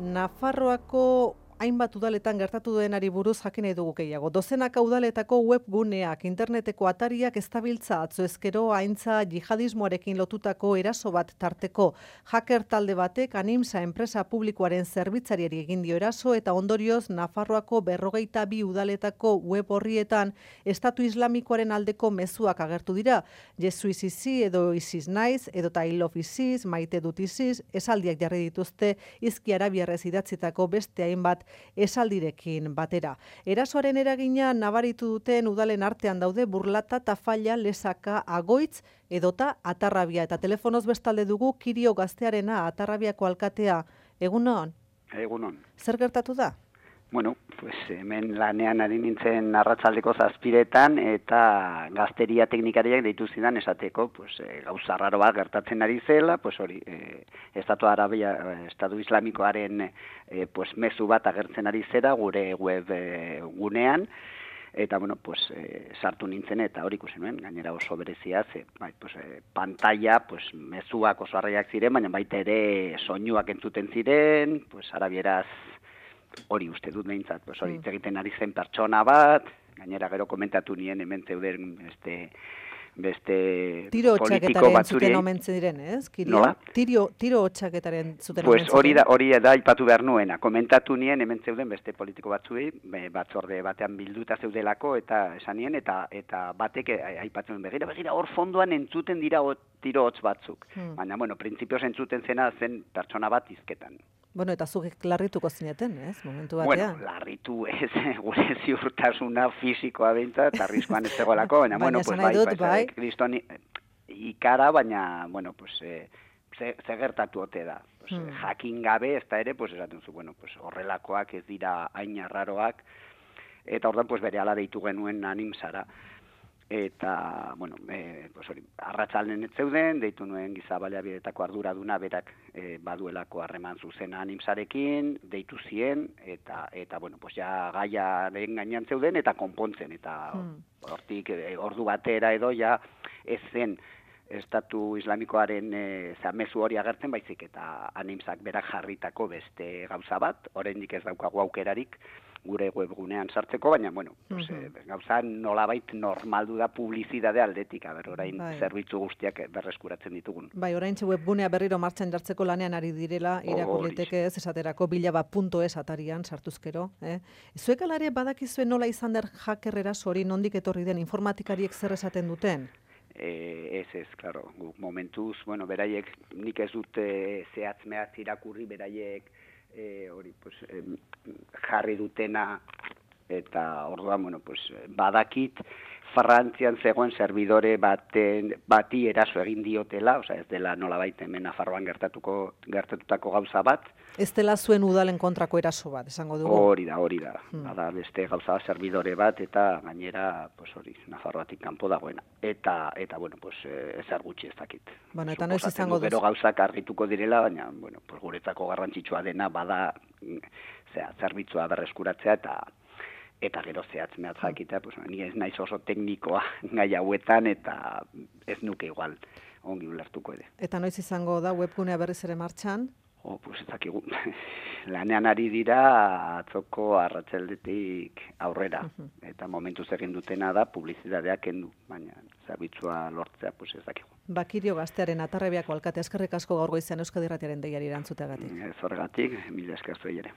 Nafarroako hainbat udaletan gertatu denari buruz jakin nahi dugu gehiago. Dozenaka udaletako webguneak, interneteko atariak eztabiltza atzo ezkero aintza jihadismoarekin lotutako eraso bat tarteko. Hacker talde batek Animsa enpresa publikoaren zerbitzariari egin dio eraso eta ondorioz Nafarroako 42 udaletako web horrietan Estatu Islamikoaren aldeko mezuak agertu dira. Jesuiz izi edo iziz naiz, edo I love ISIS, maite dut ISIS, esaldiak jarri dituzte Hizki Arabiarrez idatzitako beste hainbat esaldirekin batera. Erasoaren eragina nabaritu duten udalen artean daude Burlata, Tafalla, Lesaka, Agoitz edota Atarrabia. Eta telefonoz bestalde dugu Kirio Gaztearena, Atarrabiako alkatea. Egunon? Egunon. Zer gertatu da? Bueno, pues hemen lanean ari nintzen arratsaldeko 7:00 eta gazteria teknikariak deitu zidan esateko, pues gauza raro bat gertatzen ari zela, pues hori, Estatu Islamikoaren pues mezu bat agertzen ari zera gure web gunean. Eta, bueno, pues, sartu nintzen eta hori ikusi nuen, gainera oso berezia, pantalla, pues, mezuak oso arraiak ziren, baina baita ere soinuak entzuten ziren, pues, arabieraz hori uste dut behintzat, pues, hori egiten ari zen pertsona bat, gainera gero komentatu nien hemen zeuden beste tiro politiko batzuri. Zuten omen ziren, ez? Nola? Tiro hotxaketaren zuten omen ziren. Pues hori da aipatu behar nuena. Komentatu nien hemen zeuden beste politiko batzuei, batzorde batean bilduta zeudelako eta esan nien, eta batek aipatzen begira, hor fondoan entzuten dira tiro hotz batzuk. Baina, bueno, printzipioz entzuten zena zen pertsona bat hizketan. Bueno, eta zuk larrituko zineten, ez? Momentu batean. Bueno, larritu ez, gure ziurtasuna fisikoa behintzat, arriskuan ez zegoelako, baina, bueno, pues bai, kriston ikara, baina, bueno, pues, ze gertatu ote da. Pues, jakin gabe, ez da ere, pues, esaten zu, bueno, pues, horrelakoak ez dira hain arraroak, eta ordan, pues, bere ala deitu genuen Animsara. Eta, bueno, pues hori, arratsalden ez zeuden, deitu nuen giza baliabideetako arduraduna berak baduelako harreman zuzena Animsarekin, deitu zien, eta bueno, pues ja gaiaren gainean zeuden, eta konpontzen, eta hortik ordu batera edo ja ez zen Estatu Islamikoaren mezu hori agertzen, baizik eta Animsak berak jarritako beste gauza bat, oraindik ez daukagu aukerarik, gure webgunean sartzeko, baina, bueno, gauza nolabait normaldu da publizitate aldetik, orain zerbitzu guztiak berreskuratzen ditugun. Bai, oraintxe webgunea berriro martxan jartzeko lanean ari direla, irakur liteke ez esaterako bilaba.es atarian sartuzkero. Zuek alare badakizue nola izan der hacker eraso hori nondik etorri den informatikariek zer esaten duten? Ez, klaro, guk momentuz, bueno, beraiek nik ez dute zehatz-mehatz irakurri, beraiek hori, pues, jarri dutena eta orduan, bueno, pues, badakit Frantzian zegoen servidore bati eraso egin diotela, osea, ez dela nolabait hemen Nafarroan gertatutako gauza bat. Ez dela zuen udalen kontrako eraso bat, esango dugu. Hori da. Bada beste gauza servidore bat eta gainera, pues hori, Nafarroatik kanpo dagoena. Eta bueno, pues ezer gutxi ez dakit. Bueno, eta noiz izango duzu. Gero gauzak argituko direla, baina, bueno, pues guretzako garrantzitsua dena bada zerbitzua berreskuratzea eta gero zehatz-mehatz jakitea, pues, ni ez naiz oso teknikoa gai hauetan, eta ez nuke igual ongi ulertuko ere. Eta noiz izango da webgunea berriz ere martxan? Pues ez dakigu. Lanean ari dira atzoko arratsaldetik aurrera. Eta momentuz egin dutena da publizitateak kendu, baina zerbitzua lortzea, pues ez dakigu. Kirio Gaztearen Atarrabiako alkate, eskerrik asko gaur goizean Euskadi Irratiaren deiari erantzuteagatik. Ez horregatik, mila esker zuei ere.